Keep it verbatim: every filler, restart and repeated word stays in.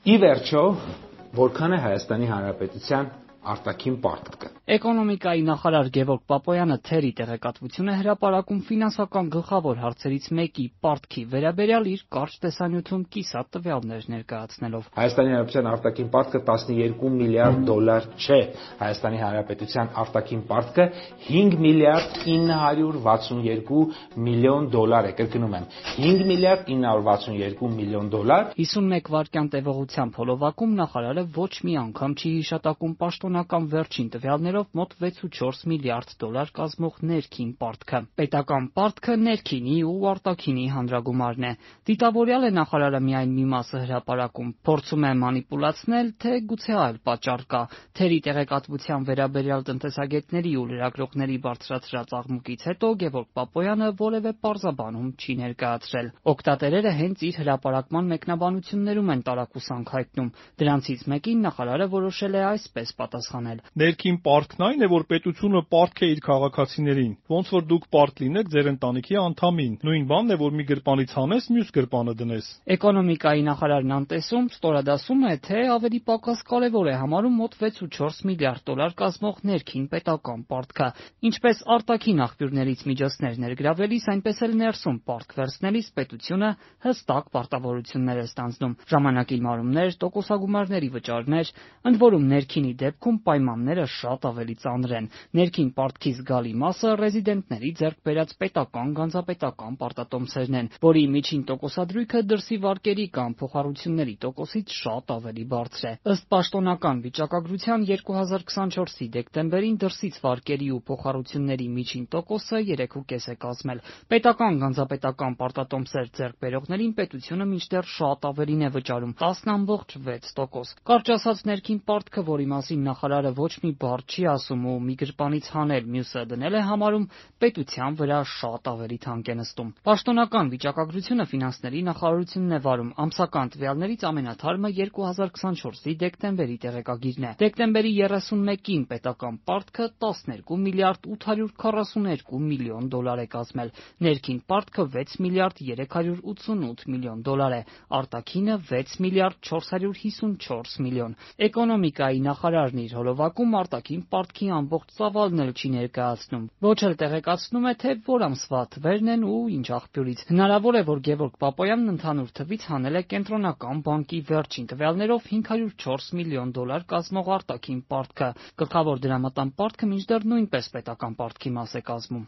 Ի վերջո, որքան է Հայաստանի Հանրապետության արտաքին պարտքը։ Էկոնոմիկայի նախարար Գևորգ Պապոյանը թերի տեղեկատվություն է հրապարակում ֆինանսական գլխավոր հարցերից մեկի պարտքի վերաբերյալ իր կարճ տեսանյութում կիսատ տվյալներ ներկայացնելով։ Հայաստանի Հանրապետության արտաքին պարտքը տասնյոթ միլիարդ դոլար չէ։ Հայաստանի Հանրապետության արտաքին պարտքը հինգ միլիարդ ինը հարյուր վաթսունյոթ միլիոն դոլար է, կրկնում եմ, հինգ միլիարդ ինը հարյուր վաթսունյոթ միլիոն դոլար։ հիսունմեկ վայրկյան տևողությամբ հոլովակում նախարարը ոչ մի անգամ չի հիշատակում պաշտոնական վերջին տվյալներով մոտ վեցուչորս միլիարդ դոլար կազմող ներքին պարտքը։ Պետական պարտքը ներքինի ու արտաքինի հանրագումարն է։ Դիտավորյալ է նախարարը միայն մի մասը հրապարակում, փորձում է մանիպուլացնել, թե գուցե այլ պատճառ կա։ Թերի տեղեկատվության վերաբերյալ տնտեսագետների ու լրագրողների բարձրացրած աղմուկից հետո Գևորգ Պապոյանը որևէ պարզաբանում չի ներկայացրել։ Օգտատերերը հենց իր հրապարակման մեկնաբանություններում են տարակուսանք հայտնում։ Դրանցից մեկին նախարարը որոշել է այսպես պատասխանել. Ներքին պարտքն այն է, որ պետությունը պարտք է իր քաղաքացիներին, ոնց որ դուք պարտք լինեք ձեր ընտանիքի անդամին։ Նույն բանն է, որ մի գրպանից հանես, մյուս գրպանը դնես։ Էկոնոմիկայի նախարարն անտեսում ստորադասում է, թե ավելի պակաս կարևոր է համարում մոտ վեցուչորս միլիարդ դոլար կազմող ներքին պետական պարտքը։ Ինչպես արտաքին աղբյուրներից միջոցներ ներգրավելիս, այնպես էլ ներսում պարտք վերցնելիս պետությունը հստակ պարտավորություններ է ստանձնում՝ ժամանակի մարումներ, տոկոսագումարների վճարներ, ընդ որում ներքինի դեպքում պայմանները շատ ավելի ծանր են։ Ներքին պարտքի զգալի մասը ռեզիդենտների ձեռք բերած պետական գանձապետական պարտատոմսերն են, որի միջին տոկոսադրույքը դրսի վարկերի կամ փոխառությունների տոկոսից շատ ավելի բարձր է։ Ըստ պաշտոնական վիճակագրության երկու հազար քսանչորսի դեկտեմբերին դրսից վարկերի ու փոխառությունների միջին տոկոսը երեք կես տոկոս է կազմել։ Պետական գանձապետական պարտատոմսեր ձեռք բերողներին պետությունը մինչդեռ շատ ավելին է վճարում՝ տասը կoma վեց տոկոս։ Կարճ ասած, ներքին պարտքը, որի մասին նախարարը ոչ մի բառ չի ասում ու մի գրպանից հանել, մյուսը դնել է համարում, պետության վրա շատ ավելի թանկ է նստում։ Պաշտոնական վիճակագրությունը ֆինանսների նախարարությունն է վարում։ Ամսական տվյալներից ամենաթարմը երկու հազար քսանչորսի դեկտեմբերի տեղեկագիրն է։ Դեկտեմբերի երեսունմեկին պետական պարտքը տասներկու միլիարդ ութ հարյուր քառասուներկու միլիոն դոլար է կազմել։ Ներքին պարտքը վեց միլիարդ երեք հարյուր ութսունութ միլիոն դոլար է, արտաքինը վեց միլիարդ չորս հարյուր հիսունչորս միլիոն։ Էկոնոմիկայի նախարարն իր հոլովակում արտաքին պարտքի ամբողջ ծավալն էլ չի ներկայացնում, ոչ էլ տեղեկացնում է, թե որ ամսվա թվերն են ու ինչ աղբյուրից։ Հնարավոր է, որ Գևորգ Պապոյանն ընդհանուր թվից հանել է Կենտրոնական բանկի վերջին տվյալներով հինգ հարյուր չորս միլիոն դոլար կազմող արտաքին պարտքը։ Գլխավոր դրամատան պարտքը մինչդեռ նույնպես պետական պարտքի մաս է կազմում։